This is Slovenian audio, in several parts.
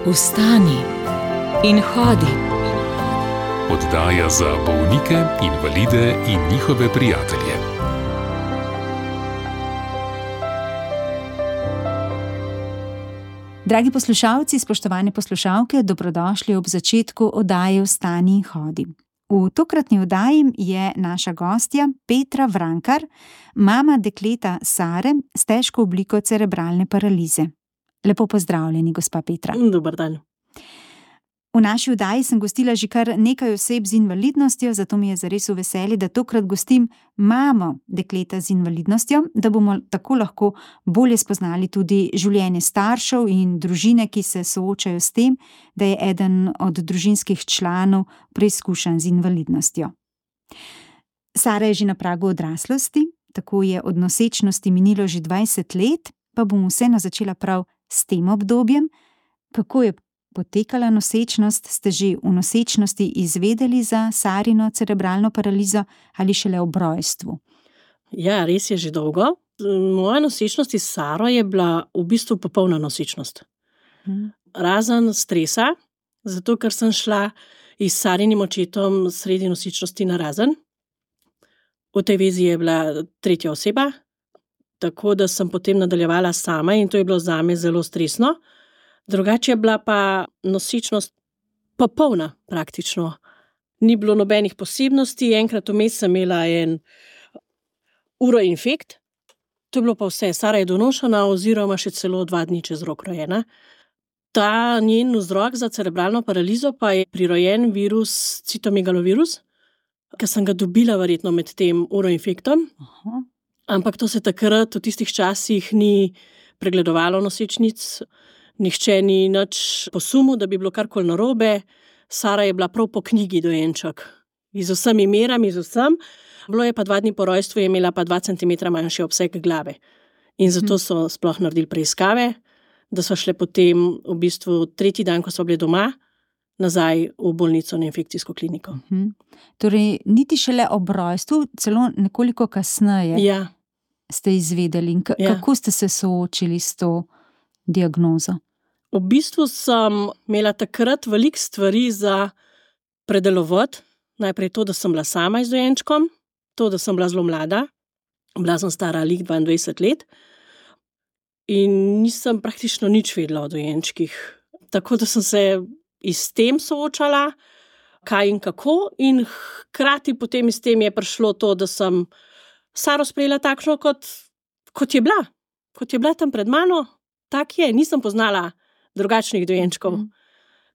Vstani in hodi. Oddaja za bolnike, invalide in njihove prijatelje. Dragi poslušalci, spoštovane poslušalke, dobrodošli ob začetku oddaje Vstani in hodi. V tokratni oddaji je naša gostja Petra Vrankar, mama dekleta Sare s težko obliko cerebralne paralize. Lepo pozdravljeni, gospa Petra. Dober dan. V naši oddaji sem gostila že kar nekaj oseb z invalidnostjo, zato mi je zares v veselje, da tokrat gostim mamo dekleta z invalidnostjo, da bomo tako lahko bolje spoznali tudi življenje staršev in družine, ki se soočajo s tem, da je eden od družinskih članov preizkušen z invalidnostjo. Sara je že na pragu odraslosti, tako je od nosečnosti minilo že 20 let, pa bom vseeno začela prav s tem obdobjem. Kako je potekala nosečnost? Ste že v nosečnosti izvedeli za Sarino cerebralno paralizo ali šele ob rojstvu? Ja, res je že dolgo. Moja nosečnost s Saro je bila v bistvu popolna nosečnost. Razen stresa, zato ker sem šla s Sarinim očetom sredi nosečnosti na razen. V tej vezi je bila tretja oseba, tako da sem potem nadaljevala sama in to je bilo zame zelo stresno. Drugače je bila pa nosečnost popolna praktično. Ni bilo nobenih posebnosti, enkrat vmes sem imela en uroinfekt, to je bilo pa vse. Sara je donošena oziroma še celo 2 dni čez rok rojena. Ta njen vzrok za cerebralno paralizo pa je prirojen virus citomegalovirus, ki sem ga dobila verjetno med tem uroinfektom. Ampak to se takrat v tistih časih ni pregledovalo nosečnic, nihče ni nič posumil, da bi bilo karkoli narobe. Sara je bila prav po knjigi dojenček, z vsemi merami, z vsem. Bilo je pa 2 dni po rojstvu, je imela pa 2 centimetra manjši obseg glave. In zato so sploh naredili preiskave, da so šle potem v bistvu 3. dan, ko so bile doma, nazaj v bolnico na infekcijsko kliniko. Torej, niti šele ob rojstvu, celo nekoliko kasneje ste izvedeli. Kako ste se soočili s to diagnozo? V bistvu sem imela takrat veliko stvari za predelovati. Najprej to, da sem bila sama z dojenčkom, to, da sem bila zelo mlada. Bila sem stara lih 22 let in nisem praktično nič vedela o dojenčkih. Tako da sem se s tem soočala, kaj in kako, in hkrati potem s tem je prišlo to, da sem Saro sprejela takšno, kot je bila. Kot je bila tam pred mano, tak je, nisem poznala drugačnih dojenčkov.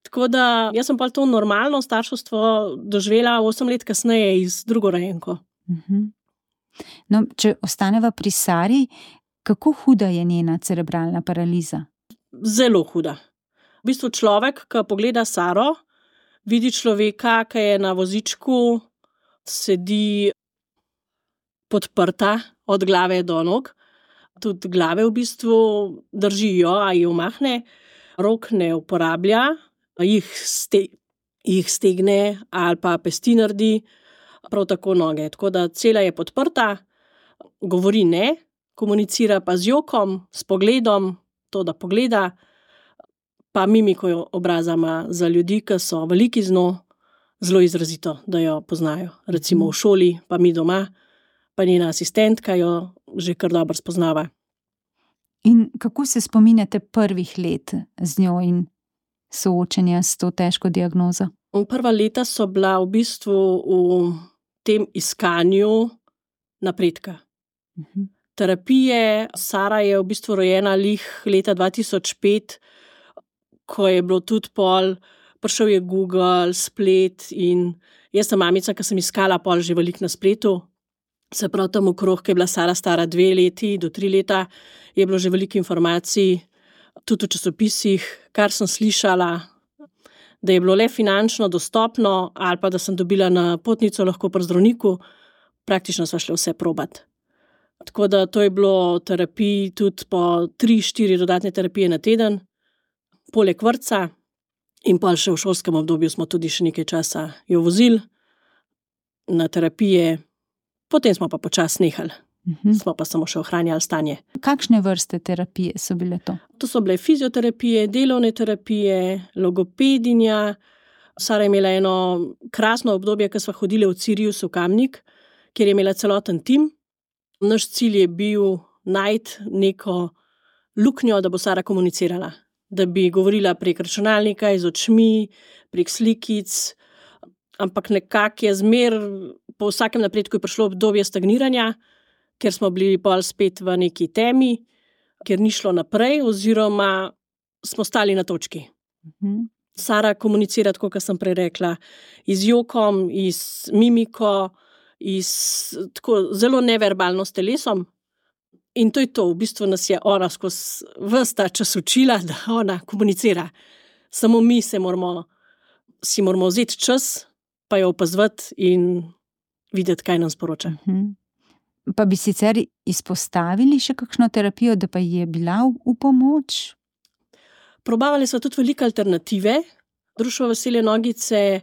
Tako da jaz sem pa to normalno starševstvo doživela 8 let kasneje z drugo rojenko. No, če ostaneva pri Sari, kako huda je njena cerebralna paraliza? Zelo huda. V bistvu človek, ki pogleda Saro, vidi človeka, ki je na vozičku, sedi podprta od glave do nog. Tudi glave v bistvu držijo, a jih umahne, rok ne uporablja, jih stegne ali pa pesti naredi, prav tako noge. Tako da cela je podprta, govori ne, komunicira pa z jokom, s pogledom, to da pogleda, pa mimiko obraza ima za ljudi, ki so veliki z njo, zelo izrazito, da jo poznajo. Recimo v šoli, pa mi doma, pa njena asistentka jo že kar dobro spoznava. In kako se spominjate prvih let z njo in soočenja s to težko diagnozo? Prva leta so bila v bistvu v tem iskanju napredka. Terapije. Sara je v bistvu rojena lih leta 2005, ko je bilo tudi prišel je Google, splet, in jaz sem mamica, ki sem iskala že veliko na spletu. Se pravi, tam okrog, ki je bila Sara stara 2 leti do 3 leta, je bilo že veliko informacij, tudi v časopisih, kar sem slišala, da je bilo le finančno dostopno ali pa da sem dobila napotnico lahko pri zdravniku, praktično sva šle vse probat. Tako da to je bilo terapij tudi po 3-4 dodatne terapije na teden, poleg vrtca, in pa še v šolskem obdobju smo tudi še nekaj časa jo vozili na terapije. Potem smo pa počasi nehali. Smo pa samo še ohranjali stanje. Kakšne vrste terapije so bile to? To so bile fizioterapije, delovne terapije, logopedinja. Sara je imela eno krasno obdobje, ko sva hodili v Sirius v Kamnik, kjer je imela celoten tim. Naš cilj je bil najti neko luknjo, da bo Sara komunicirala. Da bi govorila prek računalnika, z očmi, prek slikic, ampak nekako je po vsakem napredku je prišlo obdobje stagniranja, ker smo bili pol spet v neki temi, ker ni šlo naprej oziroma smo stali na točki. Sara komunicira, tako kot sem prej rekla, z jokom, z mimiko, tako zelo neverbalno s telesom. In to je to, v bistvu nas je ona skozi ves ta čas učila, da ona komunicira. Samo mi si moramo vzeti čas, pa jo opazovati in videti, kaj nam sporoča. Pa bi sicer izpostavili še kakšno terapijo, da pa je bila v pomoč? Probavali smo tudi velike alternative. Društvo Veselje nogice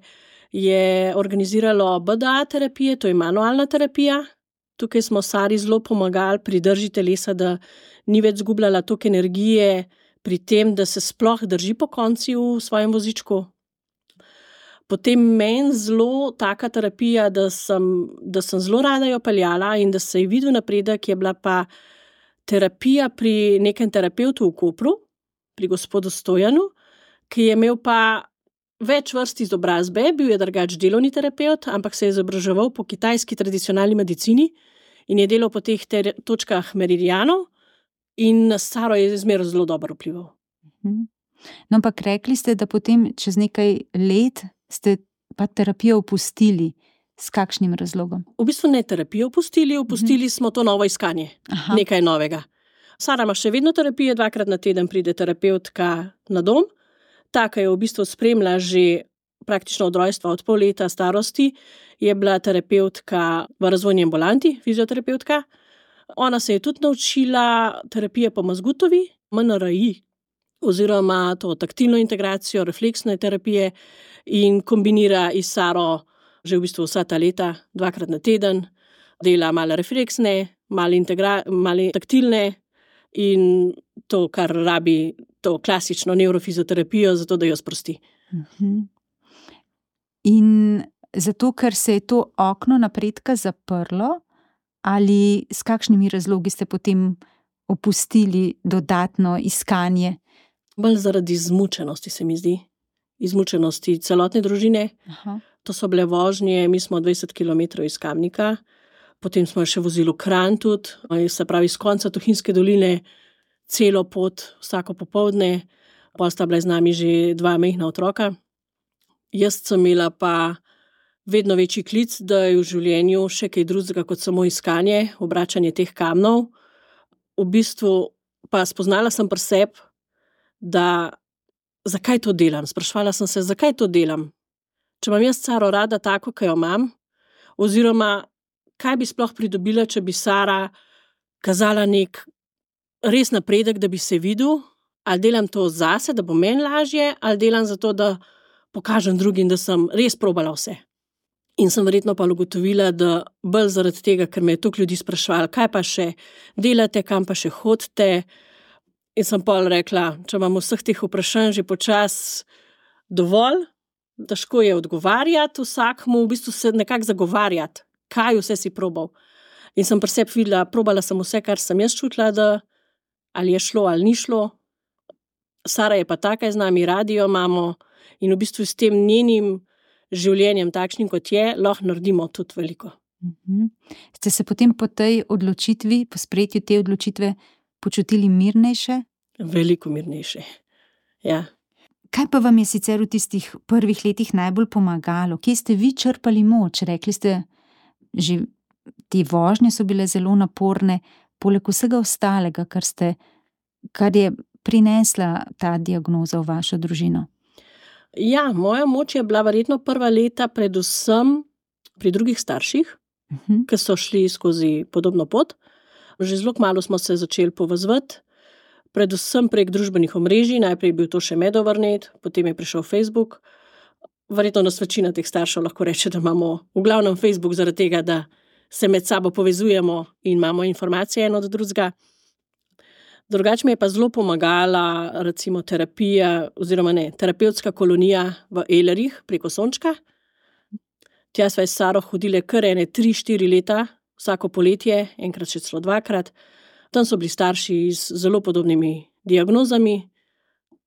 je organiziralo BDA terapije, to je manualna terapija. Tukaj smo Sari zelo pomagali pri drži telesa, da ni več zgubljala toliko energije pri tem, da se sploh drži po konci v svojem vozičku. Potem meni zelo taka terapija, da sem zelo rada jo peljala in da se je videl napredek, je bila pa terapija pri nekem terapevtu v Kopru, pri gospodu Stojanu, ki je imel pa več vrst izobrazbe, bil je drugač delovni terapevt, ampak se je izobraževal po kitajski tradicionalni medicini in je delal po teh točkah meridianov in na Saro je zmeraj zelo dobro vplival. No, ampak rekli ste, da potem čez nekaj let ste pa terapijo opustili. S kakšnim razlogom? V bistvu ne terapijo opustili smo to novo iskanje, nekaj novega. Sara ima še vedno terapije, 2-krat na teden pride terapevtka na dom. Taka je v bistvu spremlja že praktično od rojstva, od pol leta starosti, je bila terapevtka v razvojni ambulanti, fizioterapevtka. Ona se je tudi naučila terapije po Mazgutovi, MNRI, oziroma to taktilno integracijo, refleksne terapije in kombinira s Saro že v bistvu vsa ta leta, 2-krat na teden, dela malo refleksne, malo taktilne in to, kar rabi, to klasično nevrofizioterapijo, zato da jo sprosti. In zato, ker se je to okno napredka zaprlo, ali s kakšnimi razlogi ste potem opustili dodatno iskanje? Bolj zaradi izmučenosti, se mi zdi. Izmučenosti celotne družine. To so bile vožnje, mi smo 20 km iz Kamnika, potem smo še vozili v Kranj tudi, se pravi iz konca Tuhinjske doline, celo pot, vsako popoldne, pol sta bila z nami že 2 majhna otroka. Jaz sem imela pa vedno večji klic, da je v življenju še kaj drugega kot samo iskanje, obračanje teh kamnov. V bistvu pa spoznala sem pri sebi, da zakaj to delam. Sprašvala sem se, zakaj to delam. Če imam jaz Saro rada tako, kot jo imam, oziroma kaj bi sploh pridobila, če bi Sara kazala nek res napredek, da bi se videl, ali delam to zase, da bo meni lažje, ali delam zato, da pokažem drugim, da sem res probala vse. In sem verjetno pa ugotovila, da bolj zaradi tega, ker me je toliko ljudi spraševalo, kaj pa še delate, kam pa še hodite. In sem pol rekla, če imam vseh teh vprašanj že počas dovolj, težko je odgovarjati vsakmu, v bistvu se nekako zagovarjati, kaj vse si probal. In sem pri sebi videla, probala sem vse, kar sem jaz čutila, da ali je šlo ali ni šlo. Sara je pa taka z nami, radi jo imamo in v bistvu s tem njenim življenjem, takšnim kot je, lahko naredimo tudi veliko. Ste se potem po tej odločitvi, po sprejetju te odločitve počutili mirnejše? Veliko mirnejše, ja. Kaj pa vam je sicer v tistih prvih letih najbolj pomagalo? Kje ste vi črpali moč? Rekli ste, že te vožnje so bile zelo naporne, poleg vsega ostalega, kar je prinesla ta diagnoza v vašo družino. Ja, moja moč je bila verjetno prva leta predvsem pri drugih starših, ki so šli skozi podobno pot. Že zelo kmalu smo se začeli povezovati, predvsem prek družbenih omrežij, najprej je bil to še Medovrnet, potem je prišel Facebook. Verjetno nas večina teh staršev lahko reče, da imamo v glavnem Facebook zaradi tega, da se med sabo povezujemo in imamo informacije eno od drugega. Drugače mi je pa zelo pomagala recimo terapija, oziroma ne, terapevtska kolonija v Ehlerih preko Sončka. Tja sva s Saro hodile kar 3-4 leta, vsako poletje, enkrat še celo 2-krat. Tam so bili starši z zelo podobnimi diagnozami.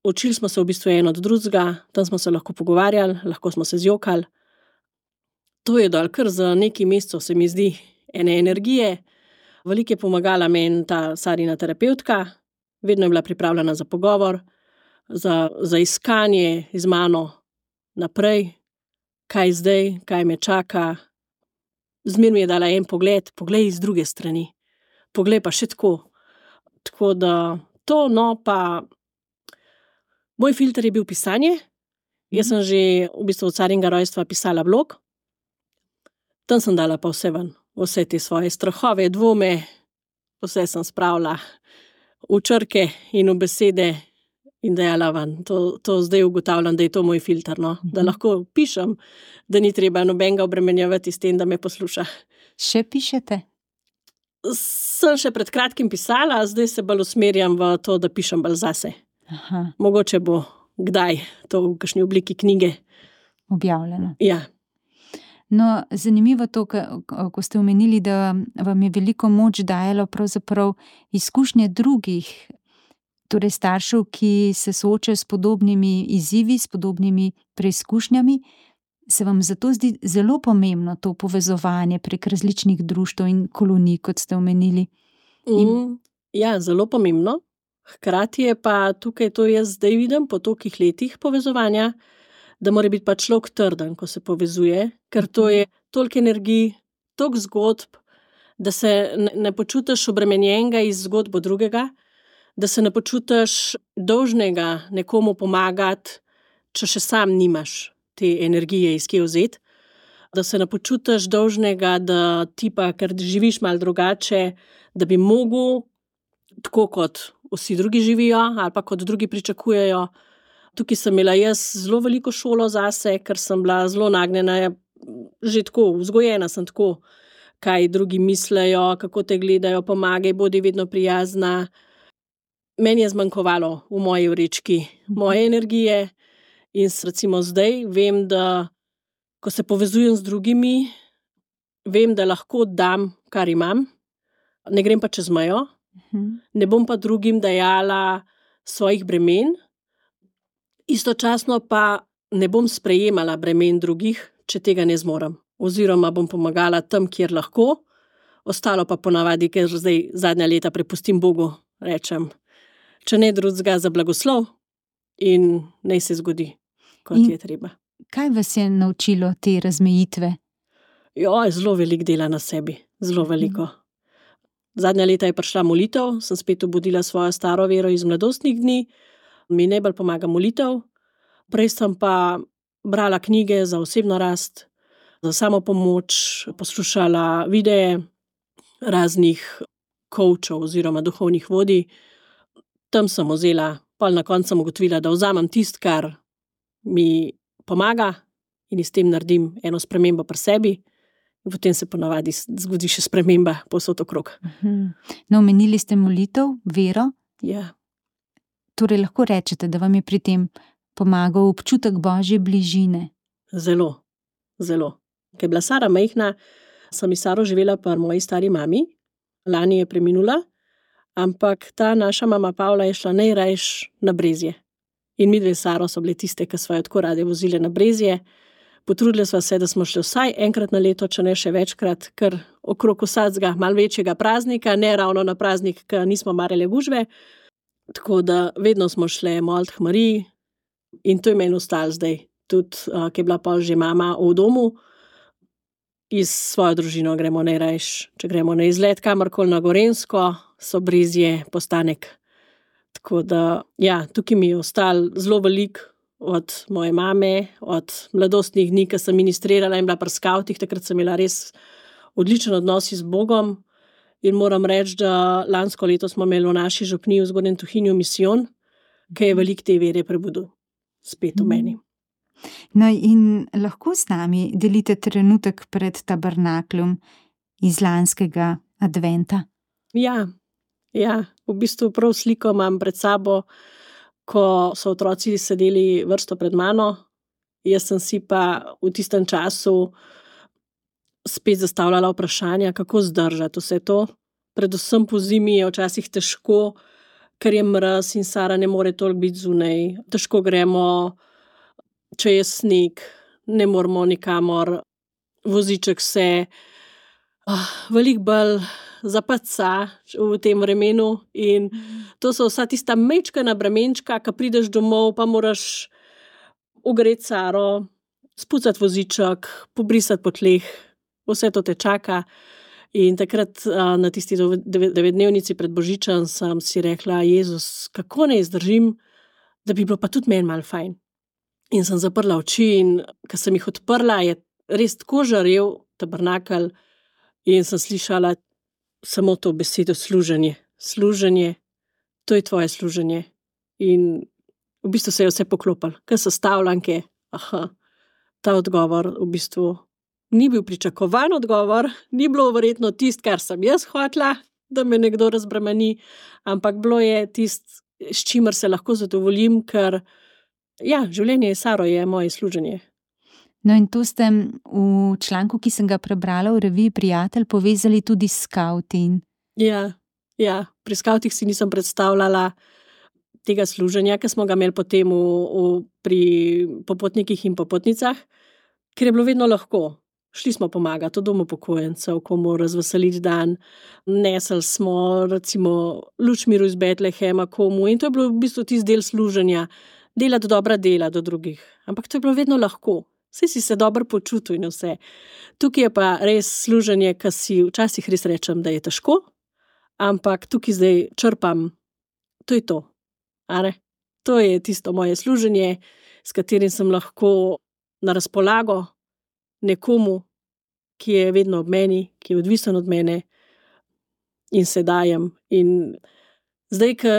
Učili smo se v bistvu eno od drugega, tam smo se lahko pogovarjali, lahko smo se zjokali. To je dal kar za nekaj mesecev, se mi zdi, ene energije. Veliko je pomagala meni ta Sarina terapevtka, vedno je bila pripravljena za pogovor, za iskanje z mano naprej, kaj zdaj, kaj me čaka. Zmer mi je dala en pogled, poglej iz druge strani, poglej pa še tako. Tako da to, no, pa moj filter je bil pisanje. Jaz sem že v bistvu od Sarinega rojstva pisala blog. Tam sem dala pa vse ven, vse te svoje strahove, dvome, vse sem spravila v črke in v besede in dajala ven. To zdaj ugotavljam, da je to moj filter, no? Da lahko pišem, da ni treba nobenega obremenjevati s tem, da me posluša. Še pišete? Sem še pred kratkim pisala, zdaj se bolj usmerjam v to, da pišem bolj zase. Aha. Mogoče bo kdaj to v kakšni obliki knjige. Objavljeno. Ja. No, zanimivo to, ko ste omenili, da vam je veliko moč dajalo pravzaprav izkušnje drugih, torej staršev, ki se soočajo s podobnimi izzivi, s podobnimi preizkušnjami. Se vam zato zdi zelo pomembno to povezovanje prek različnih društev in kolonij, kot ste omenili? Ja, zelo pomembno. Hkrati je pa tukaj to jaz zdaj vidim po tolikih letih povezovanja, da mora biti pa človek trden, ko se povezuje, ker to je toliko energij, toliko zgodb, da se ne počutiš obremenjenega iz zgodbo drugega, da se ne počutiš dolžnega nekomu pomagati, če še sam nimaš te energije iz kje vzeti, da se ne počutiš dolžnega, da ti pa, ker živiš malo drugače, da bi mogel, tako kot vsi drugi živijo ali pa kot drugi pričakujejo. Tukaj sem imela jaz zelo veliko šolo zase, ker sem bila zelo nagnjena, že tako, vzgojena sem tako, kaj drugi mislejo, kako te gledajo, pomagaj, bodi vedno prijazna. Meni je zmanjkovalo v moji vrečki moje energije in recimo zdaj vem, da ko se povezujem z drugimi, vem, da lahko dam, kar imam, ne grem pa čez mejo, ne bom pa drugim dajala svojih bremen, istočasno pa ne bom sprejemala bremen drugih, če tega ne zmorem. Oziroma bom pomagala tam, kjer lahko, ostalo pa ponavadi, ker zdaj zadnja leta prepustim Bogu, rečem, če ne drugega za blagoslov in naj se zgodi, kot je treba. Kaj vas je naučilo te razmejitve? Zelo veliko dela na sebi, zelo veliko. Zadnja leta je prišla molitev, sem spet obudila svojo staro vero iz mladostnih dni, mi najbolj pomaga molitev. Prej sem pa brala knjige za osebno rast, za samopomoč, poslušala videe raznih coachov oziroma duhovnih vodij. Tam sem vzela, pol na koncu sem ugotovila, da vzamem tisto, kar mi pomaga in s tem naredim eno spremembo pri sebi. In potem se ponavadi zgodi še sprememba povsod okrog. No, omenili ste molitev, vero. Ja. Torej lahko rečete, da vam je pri tem pomagal občutek Božje bližine? Zelo, zelo. Ko je bila Sara majhna, sem s Saro živela pri moji stari mami. Lani je preminula, ampak ta naša mama Pavla je šla najrajš na Brezje. In midve s Saro so bile tiste, ki sva jo tako rade vozile na Brezje. Potrudili sva se, da smo šli vsaj enkrat na leto, če ne še večkrat, ker okrog vsakega malo večjega praznika, ne ravno na praznik, ki nismo marali gužve. Tako da vedno smo šle molit k Mariji in to je meni ostalo zdaj. Tudi, ki je bila pa že mama v domu, iz svojo družino gremo najrajš. Če gremo na izlet kamorkoli na Gorenjsko, so Brezje postanek. Tako da, ja, tukaj mi je ostalo zelo veliko od moje mame, od mladostnih dni, ki sem ministrirala in bila pri skavtih, takrat sem imela res odličen odnos z Bogom. In moram reči, da lansko leto smo imeli v naši župniji v Zgornjem Tuhinju misijon, ki je veliko te vere prebudil spet v meni. No in lahko s nami delite trenutek pred tabernakljem, iz lanskega adventa. Ja, v bistvu prav sliko imam pred sabo, ko so otroci sedeli vrsto pred mano, jaz sem si pa v tistem času spet zastavljala vprašanja, kako zdržati vse to. Predvsem po zimi je včasih težko, ker je mraz in Sara ne more toliko biti zunaj. Težko gremo, če je sneg, ne moremo nikamor, voziček se veliko bolj zapaca v tem vremenu in to so vsa tista majčkena bremenčka, ko prideš domov, pa moraš ogreti Saro, spucati voziček, pobrisati po tleh, vse to te čaka. In takrat na tisti 9-dnevnici pred Božičem sem si rekla, Jezus, kako ne izdržim, da bi bilo pa tudi meni malo fajn. In sem zaprla oči in ko sem jih odprla, je res tako žarel tabernakelj in sem slišala samo to besedo služenje. Služenje, to je tvoje služenje. In v bistvu se je vse poklopilo, ker sestavljanke, ta odgovor v bistvu ni bil pričakovan odgovor, ni bilo verjetno tisto, kar sem jaz hotela, da me nekdo razbremeni, ampak bilo je tisto, s čimer se lahko zadovoljim, ker življenje s Saro je moje služenje. No in to ste v članku, ki sem ga prebrala v reviji Prijatelj, povezali tudi s skavti. Ja, pri skavtih si nisem predstavljala tega služenja, ki smo ga imeli potem pri popotnikih in popotnicah, ker je bilo vedno lahko. Šli smo pomagati v domu upokojencev, komu razveseliti dan, nesli smo recimo luč miru iz Betlehema komu in to je bilo v bistvu tisti del služenja, delati dobra dela do drugih. Ampak to je bilo vedno lahko. Saj si se dobro počutil in vse. Tukaj je pa res služenje, ki si včasih res rečem, da je težko, ampak tukaj zdaj črpam, to je to. To je tisto moje služenje, s katerim sem lahko na razpolago nekomu, ki je vedno ob meni, ki je odvisen od mene in se dajem. In zdaj, ko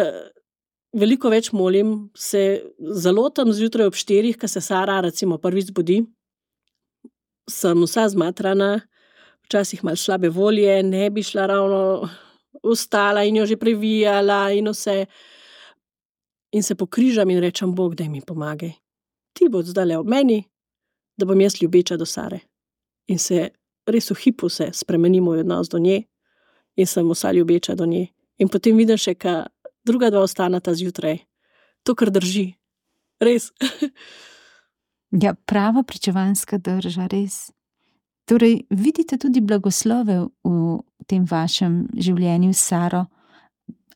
veliko več molim, se zalotam zjutraj ob 4, ko se Sara recimo prvič zbudi, sem vsa zmatrana, včasih malo slabe volje, ne bi šla ravno vstala in jo že previjala in vse. In se pokrižam in rečem, Bog, daj mi pomagaj. Ti bo zdajle ob meni, da bom jaz ljubeča do Sare. In se res v hipu se spremeni moj odnos do nje in sem vsa ljubeča do nje. In potem vidim še, ka druga dva ostaneta zjutraj. To, kar drži. Res. Ja, prava pričevanska drža, res. Torej, vidite tudi blagoslove v tem vašem življenju s Saro?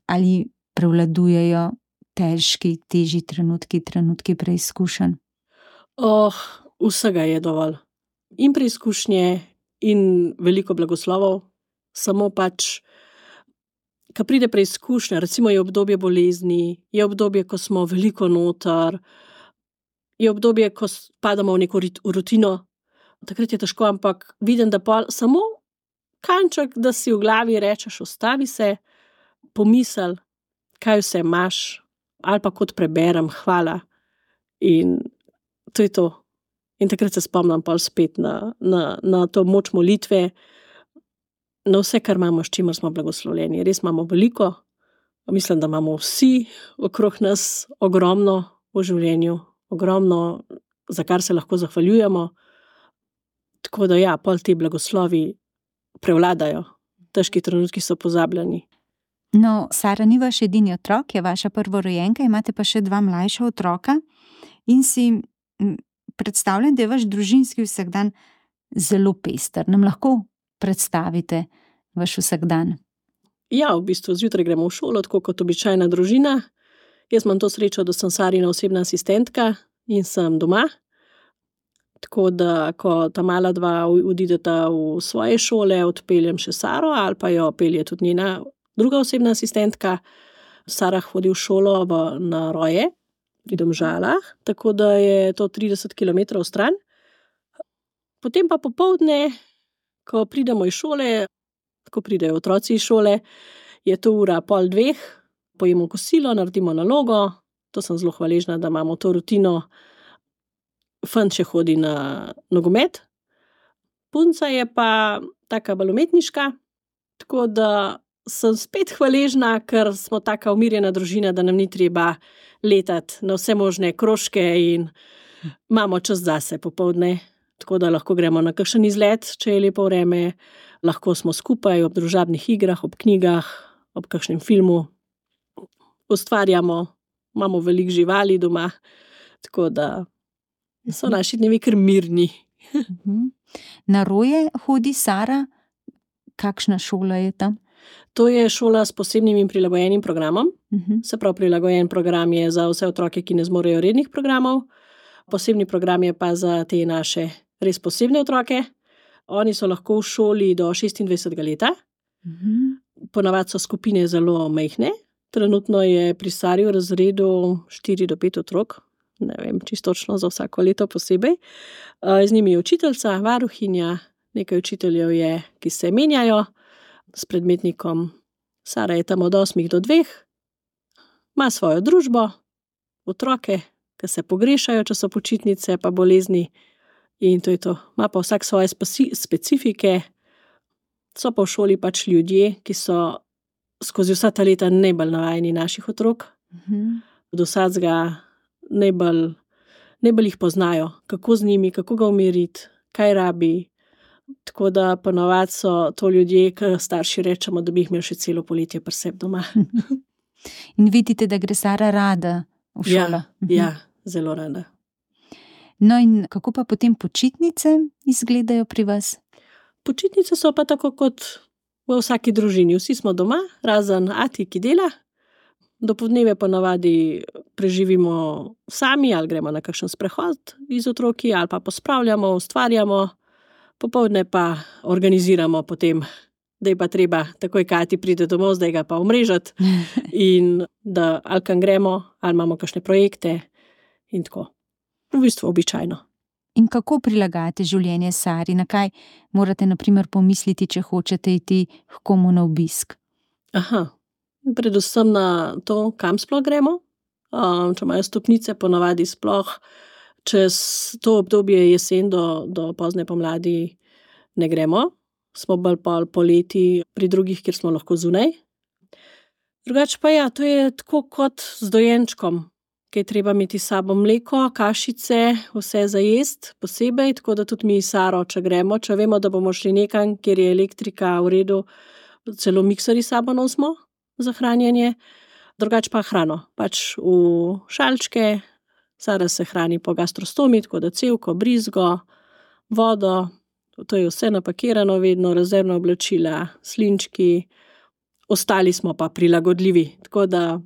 Ali prevladujejo težji trenutki preizkušenj? Vsega je dovolj. In preizkušnje, in veliko blagoslovov, samo pač, ko pride preizkušnja, recimo je obdobje bolezni, je obdobje, ko smo veliko noter, je obdobje, ko padamo v neko rutino, takrat je težko, ampak vidim, da pa samo kanček, da si v glavi rečeš, ustavi se, pomisel, kaj vse imaš, ali pa kot preberem, hvala. In to je to. In takrat se spomnim pa spet na to moč molitve, na vse, kar imamo, s čimer smo blagoslovljeni. Res imamo veliko, mislim, da imamo vsi okrog nas ogromno v življenju, ogromno, za kar se lahko zahvaljujemo. Tako da pol ti blagoslovi prevladajo. Težki trenutki so pozabljeni. No, Sara ni vaš edini otrok, je vaša prvorojenka, imate pa še 2 mlajša otroka in si predstavljam, da je vaš družinski vsakdan zelo pester. Nam lahko predstavite vaš vsakdan? Ja, v bistvu zjutraj gremo v šolo, tako kot običajna družina. Jaz imam to srečo, da sem Sarina osebna asistentka in sem doma. Tako da, ko ta mala 2 odideta v svoje šole, odpeljem še Saro ali pa jo pelje tudi njena druga osebna asistentka. Sara hodi v šolo na Roje, pri Domžalah, tako da je to 30 km stran. Potem pa popoldne, ko pridemo iz šole, ko pridejo otroci iz šole, je to 1:30, pojemo kosilo, naredimo nalogo, to sem zelo hvaležna, da imamo to rutino. Fant še hodi na nogomet. Punca je pa taka bolj umetniška, tako da sem spet hvaležna, ker smo taka umirjena družina, da nam ni treba letati na vse možne krožke in imamo čas zase popoldne, tako da lahko gremo na kakšen izlet, če je lepo vreme, lahko smo skupaj ob družabnih igrah, ob knjigah, ob kakšnem filmu, ustvarjamo, imamo veliko živali doma, tako da so naši dnevi kar mirni. Na roje hodi Sara. Kakšna šola je tam? To je šola s posebnim in prilagojenim programom. Se pravi, prilagojen program je za vse otroke, ki ne zmorejo rednih programov. Posebni program je pa za te naše res posebne otroke. Oni so lahko v šoli do 26. leta. Ponavadi so skupine zelo majhne. Trenutno je pri Sari v razredu 4 do 5 otrok. Ne vem, čisto točno za vsako leto posebej. Z njimi je učiteljica, varuhinja, nekaj učiteljev je, ki se menjajo s predmetnikom. Sara je tam od 8 do 2, ima svojo družbo, otroke, ki se pogrešajo, če so počitnice pa bolezni, in to je to. Ima pa vsak svoje specifike, so pa v šoli pač ljudje, ki so skozi vsa ta leta najbolj navajeni naših otrok. Do vsakega najbolj jih poznajo, kako z njimi, kako ga umiriti, kaj rabi. Tako da ponavadi so to ljudje, ki starši rečemo, da bi jih imeli še celo poletje pri sebi doma. In vidite, da gre Sara rada v šolo. Ja, zelo rada. No in kako pa potem počitnice izgledajo pri vas? Počitnice so pa tako kot v vsaki družini. Vsi smo doma, razen ati, ki dela. Dopoldneve ponavadi preživimo sami, ali gremo na kakšen sprehod z otroki, ali pa pospravljamo, ustvarjamo. Popoldne pa organiziramo potem, da je pa treba takoj Kati pride domov, zdaj ga pa omrežati in da ali kam gremo, ali imamo kakšne projekte in tako. V bistvu običajno. In kako prilagajate življenje Sari? Na kaj morate na primer pomisliti, če hočete iti k komu na obisk? Predvsem na to, kam sploh gremo. Če imajo stopnice, ponavadi sploh čez to obdobje jesen do pozne pomladi ne gremo. Smo bolj poleti pri drugih, kjer smo lahko zunaj. Drugače pa ja, to je tako kot z dojenčkom, ki je treba imeti s sabo mleko, kašice, vse za jest posebej, tako da tudi mi Saro, če gremo, če vemo, da bomo šli nekam, kjer je elektrika v redu, celo mikserji s sabo nosimo za hranjenje. Drugače pa hrano, pač v šalčke. Sara se hrani po gastrostomi, tako da cevko, brizgo, vodo, to je vse napakirano, vedno rezervna oblačila, slinčki, ostali smo pa prilagodljivi. Tako da,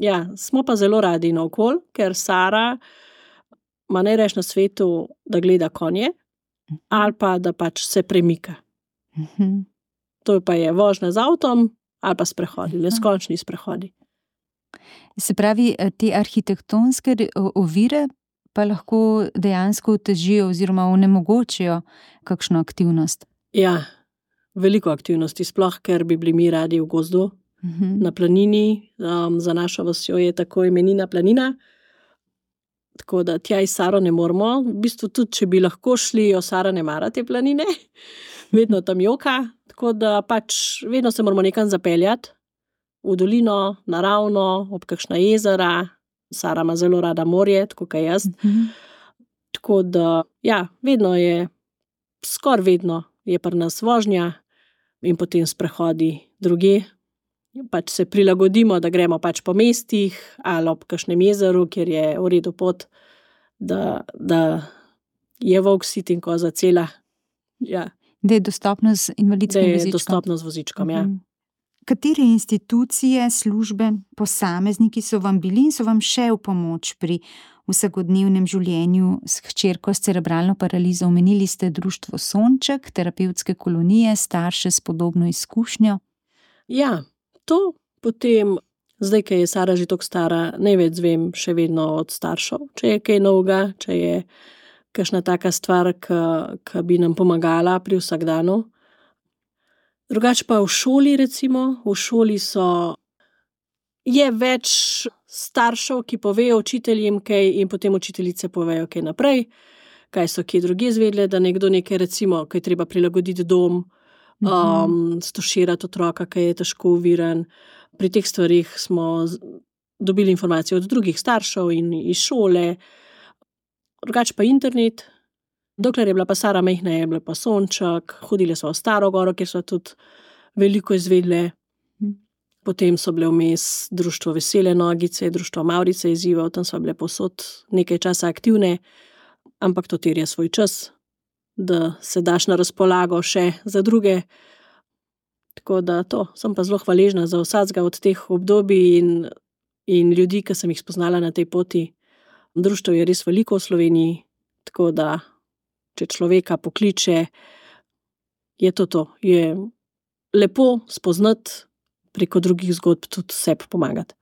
ja, smo pa zelo radi naokoli, ker Sara ima najrajši na svetu, da gleda konje, ali pa da pač se premika. To pa je vožnja z avtom, ali pa sprehodi, neskončni sprehodi. Se pravi, te arhitektonske ovire pa lahko dejansko otežijo oziroma onemogočijo kakšno aktivnost? Ja, veliko aktivnosti, sploh ker bi bili mi radi v gozdu, na planini. Za našo vasjo je tako imenina planina, tako da tja iz Saro ne moremo. V bistvu tudi, če bi lahko šli, Sara ne mara te planine, vedno tam joka, tako da pač vedno se moramo nekam zapeljati. V dolino, naravno, ob kakšna jezera. Sara ima zelo rada morje, tako kot jaz. Tako da, ja, vedno je, skoraj vedno je pri nas vožnja in potem sprehodi drugje. Pač se prilagodimo, da gremo pač po mestih ali ob kakšnem jezeru, kjer je v redu pot, da je volk sit in koza cela. Ja. Da je dostopno z invalidskim vozičkom. Da je dostopno z vozičkom, ja. Katere institucije, službe, posamezniki so vam bili in so vam še v pomoč pri vsakodnevnem življenju s hčerko s cerebralno paralizo? Omenili ste društvo Sonček, terapevtske kolonije, starše s podobno izkušnjo. Ja, to potem, zdaj, ko je Sara že toliko stara, največ zvem še vedno od staršev. Če je kaj novega, če je kakšna taka stvar, ki bi nam pomagala pri vsakdanu. Drugače pa v šoli recimo, v šoli je več staršev, ki povejo učiteljem kaj in potem učiteljice povejo kaj naprej, kaj so kje drugje izvedle, da nekdo nekaj recimo, kaj treba prilagoditi dom, stuširati otroka, ki je težko oviran. Pri teh stvarih smo dobili informacije od drugih staršev in iz šole, drugače pa internet. Dokler je bila pa Sara majhna, je bila pa Sonček, hodili smo v Staro Goro, kjer so tudi veliko izvedle. Potem so bile vmes društvo Vesele nogice, društvo Mavrice izzivov, tam so bile povsod nekaj časa aktivne, ampak to terja svoj čas, da se daš na razpolago še za druge. Tako da sem pa zelo hvaležna za vsakega od teh obdobij in ljudi, ki sem jih spoznala na tej poti. Društvo je res veliko v Sloveniji, tako da če človeka pokliče, je to. Je lepo spoznati preko drugih zgodb tudi sebi pomagati.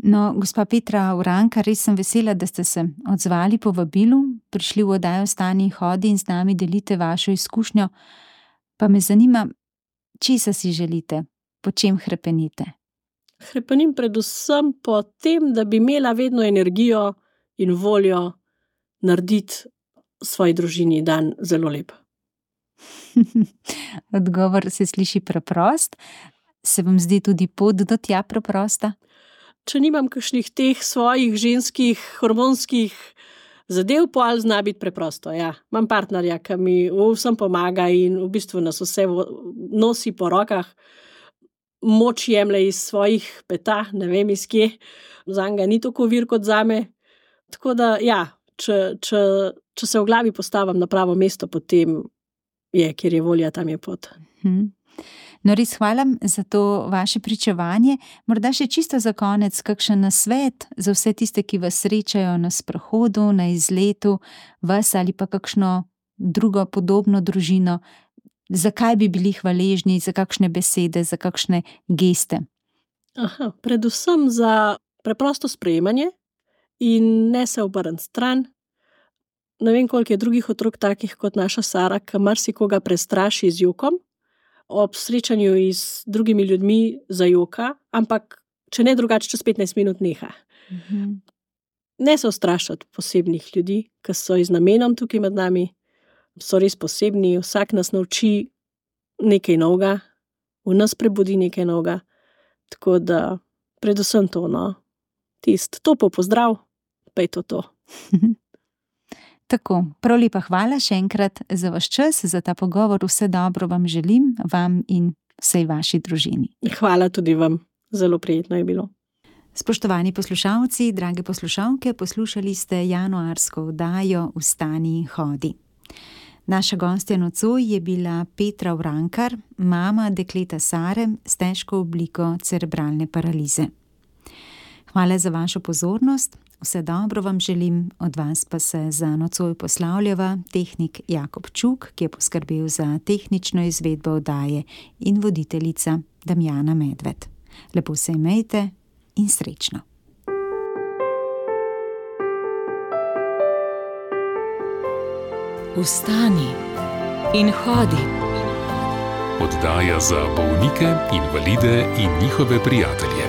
No, gospa Petra Urankar, res sem vesela, da ste se odzvali po vabilu, prišli v oddajo Vstani in hodi in z nami delite vašo izkušnjo. Pa me zanima, česa si želite, po čem hrepenite? Hrepenim predvsem po tem, da bi imela vedno energijo in voljo narediti svoji družini dan zelo lep. Odgovor se sliši preprost. Se vam zdi tudi pot do tja preprosta? Če nimam kakšnih teh svojih ženskih hormonskih zadev, potem zna biti preprosto. Ja. Imam partnerja, ki mi vsem pomaga in v bistvu nas vse nosi po rokah. Moč jemlje iz svojih peta, ne vem iz kje. Zanj ni tako vir kot zame. Tako da, ja, če se v glavi postavim na pravo mesto, potem je, kjer je volja, tam je pot. No, res hvala za to vaše pričevanje. Morda še čisto za konec kakšen nasvet za vse tiste, ki vas srečajo na sprehodu, na izletu, vas ali pa kakšno drugo podobno družino. Zakaj bi bili hvaležni, za kakšne besede, za kakšne geste? Predvsem za preprosto sprejemanje in ne se obrniti stran. Ne vem, koliko je drugih otrok takih kot naša Sara, ki marsikoga prestraši z jokom. Ob srečanju z drugimi ljudmi zajoka, ampak če ne drugače, čez 15 minut neha. Ne se ustrašiti posebnih ljudi, ki so z namenom tukaj med nami, so res posebni, vsak nas nauči nekaj novega, v nas prebudi nekaj novega, tako da predvsem to, topel pozdrav, pa je to. Tako, prav lepa hvala še enkrat za vaš čas, za ta pogovor. Vse dobro vam želim, vam in vsej vaši družini. Hvala tudi vam, zelo prijetno je bilo. Spoštovani poslušalci, drage poslušalke, poslušali ste januarsko oddajo Vstani in hodi. Naša gostja nocoj je bila Petra Urankar, mama dekleta Sare s težko obliko cerebralne paralize. Hvala za vašo pozornost. Vse dobro vam želim, od vas pa se za nocoj poslavljava tehnik Jakob Čuk, ki je poskrbel za tehnično izvedbo oddaje, in voditeljica Damjana Medved. Lepo se imejte in srečno. Vstani in hodi. Oddaja za bolnike, invalide in njihove prijatelje.